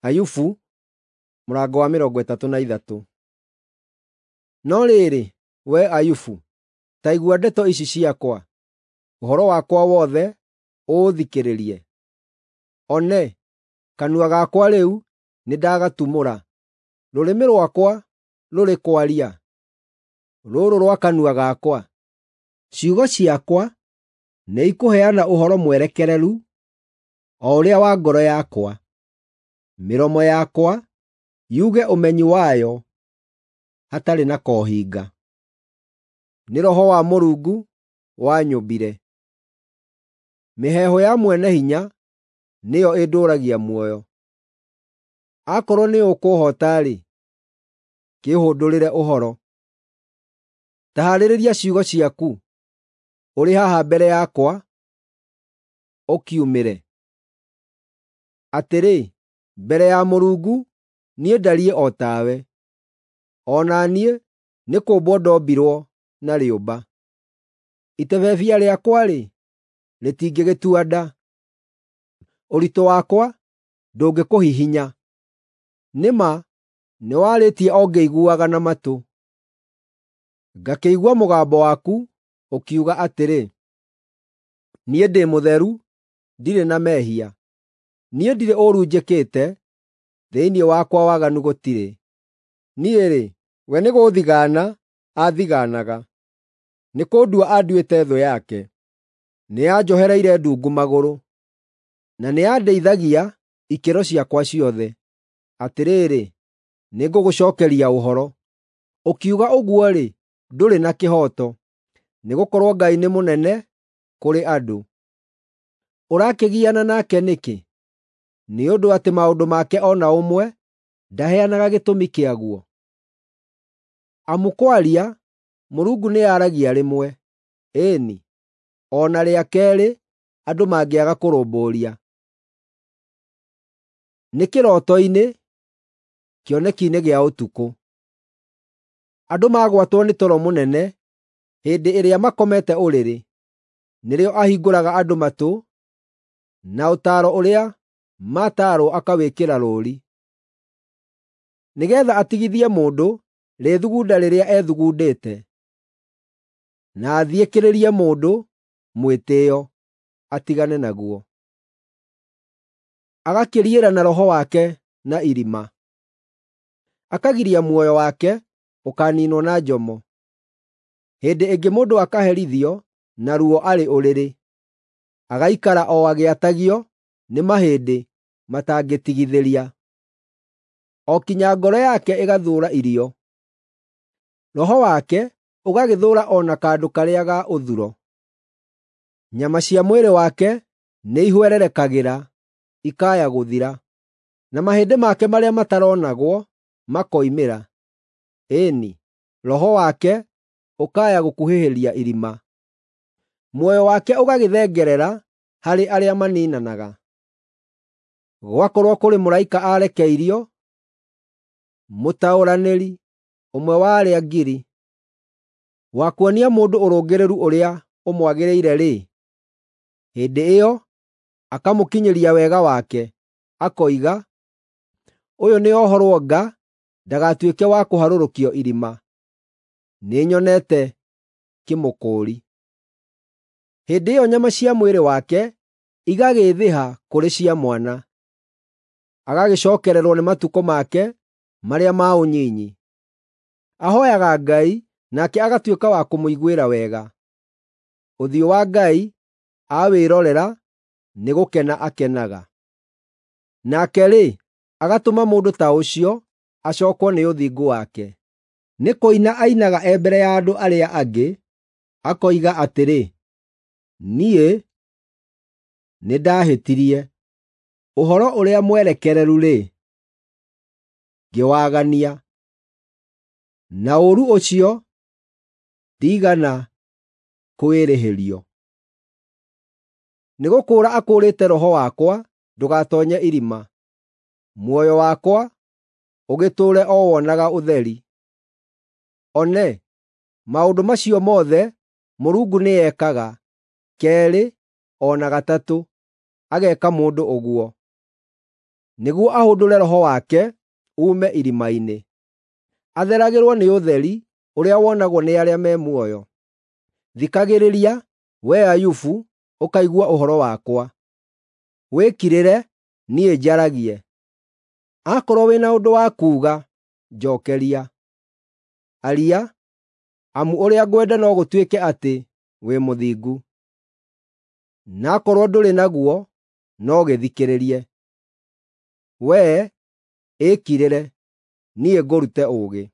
Ayubu mũrango wa 33. No rĩrĩ, wee Ayubu, ta igua ndeto ici ciakwa; ũhoro wakwa wothe ũũthikĩrĩrie. One, kanua gakwa rĩu nĩndagatumũra, rũrĩmĩ rwakwa rũrĩ kwaria, rũrũ rwa kanua gakwa. Ciugo ciakwa nĩikũheana ũhoro mwerekereru, o ũrĩa wa ngoro yakwa; mĩromo yakwa yuge ũmenyi wayo hatarĩ na kohinga. Nĩ Roho wa Mũrungu wanyũmbire; mĩheehũ ya Mwene-Hinya nĩyo ĩndũũragia muoyo. Akorwo nĩũkũũhoota-rĩ, kĩĩhũndũrĩre ũhoro; ta haarĩrĩria ciugo ciaku ũrĩ haha mbere yakwa ũkiumĩre. Atĩrĩ, mbere ya Mũrungu niĩ ndariĩ o tawe, o na niĩ nĩkũũmbwo ndombirwo na rĩũmba. Itebebia rĩakwa-rĩ, rĩtingĩgĩtua nda; ũritũ wakwa ndũngĩkũhihinya. Nĩ ma nĩwarĩtie o ngĩiguaga na matũ, ngakĩigua mũgambo waku ũkiuga atĩrĩ, “Niĩ ndĩ mũtheru, ndirĩ na mehia; niĩ ndirĩ ũũru njĩkĩte, thĩinĩ wakwa waganu gũtirĩ. Niĩ-rĩ, we nĩgũũthigaana aathigaanaga, nĩkũndua anduĩte thũ yake. Nĩanjohereire ndungu magũrũ, na nĩandĩithagia ikĩro ciakwa ciothe. Atĩrĩrĩ, nĩngũgũcookeria ũhoro; ũkiuga ũguo-rĩ, ndũrĩ na kĩhooto, nĩgũkorwo Ngai nĩ mũnene kũrĩ andũ. Ũrakĩgiana nake nĩkĩ, nĩ ũndũ atĩ maũndũ make o na ũmwe ndaheanaga gĩtũmi kĩaguo? Amu kwaria, Mũrungu nĩaragia rĩmwe, ĩĩ-ni, o na rĩa keerĩ andũ mangĩaga kũrũmbũiya. Nĩ kĩroto-inĩ, kĩoneki-inĩ gĩa ũtukũ, andũ magwatwo nĩ toro mũnene hĩndĩ ĩrĩa makomete ũrĩrĩ, nĩrĩo ahingũraga andũ matũ, na ũtaaro ũrĩa mataarwo akawĩkĩra rũũri, nĩgeetha atigithie mũndũ rĩĩthugunda rĩrĩa ethugundĩte, na athiĩkĩrĩrie mũndũ mwĩtĩĩo atigane naguo. Agakĩriĩra na roho wake na irima, akagiria muoyo wake ũkaaniinwo na njomo. Hĩndĩ ĩngĩ mũndũ akaherithio na ruo arĩ ũrĩrĩ, agaikara o agĩatagio nĩ mahĩndĩ matangĩtigithĩria, o kinya ngoro yake ĩgathũũra irio, roho wake ũgagĩthũũra o na kandũ karĩa ga ũthuro. Nyama cia mwĩrĩ wake nĩihwererekagĩra ikaya gũthira, na mahĩndĩ make marĩa mataronagwo makoimĩra. Ĩĩ-ni, roho wake ũkaya gũkuhĩhĩria irima, muoyo wake ũgagĩthengerera harĩ arĩa maniinanaga. Gwakorwo kũrĩ mũraika aarekeirio, mũtaũranĩri, ũmwe wa arĩa ngiri, wa kuonia mũndũ ũrũngĩrĩru ũrĩa ũmwagĩrĩire-rĩ, hĩndĩ ĩyo akamũkinyĩria wega wake, akoiga, “Ũyũ nĩohorwo nga ndagatuĩke wa kũharũrũkio irima; nĩnyonete kĩmũkũũri.” Hĩndĩ ĩyo nyama cia mwĩrĩ wake igagĩĩthĩha kũrĩ cia mwana, agagĩcookererwo nĩ matukũ make marĩa ma ũnyinyi. Ahooyaga Ngai nake agatuĩka wa kũmũiguĩra wega; ũthiũ wa Ngai aawĩrorera nĩgũkena akenaga. Nake-rĩ, agatũma mũndũ ta ũcio acookwo nĩ ũthingu wake. Nĩ kũina ainaga e mbere ya andũ arĩa angĩ, akoiga atĩrĩ, “Niĩ nĩndahĩtirie; ũhoro ũrĩa mwerekereru-rĩ, ngĩwagania, na ũũru ũcio ndiigana kũwĩrĩhĩrio. Nĩgũkũũra akũũrĩte roho wakwa ndũgatoonye irima, muoyo wakwa ũgĩtũũre o wonaga ũtheri.” One, maũndũ macio mothe Mũrungu nĩekaga, keerĩ o na gatatũ, ageeka mũndũ ũguo. nĩguo ahũndũre roho wake uume irima-inĩ. Atheragĩrwo nĩ ũtheri ũrĩa wonagwo nĩ arĩa me muoyo. Thikagĩrĩria, wee Ayubu, ũkaigua ũhoro wakwa; wĩkirĩre, niĩ njaragie. Akorwo wĩna ũndũ wa kuuga, njookeria; aria, amu ũrĩa ngwenda no gũtuĩke atĩ wĩ mũthingu. Na akorwo ndũrĩ naguo, no gĩthikĩrĩrie; wee, ĩkirĩre, niĩ ngũrute ũũgĩ.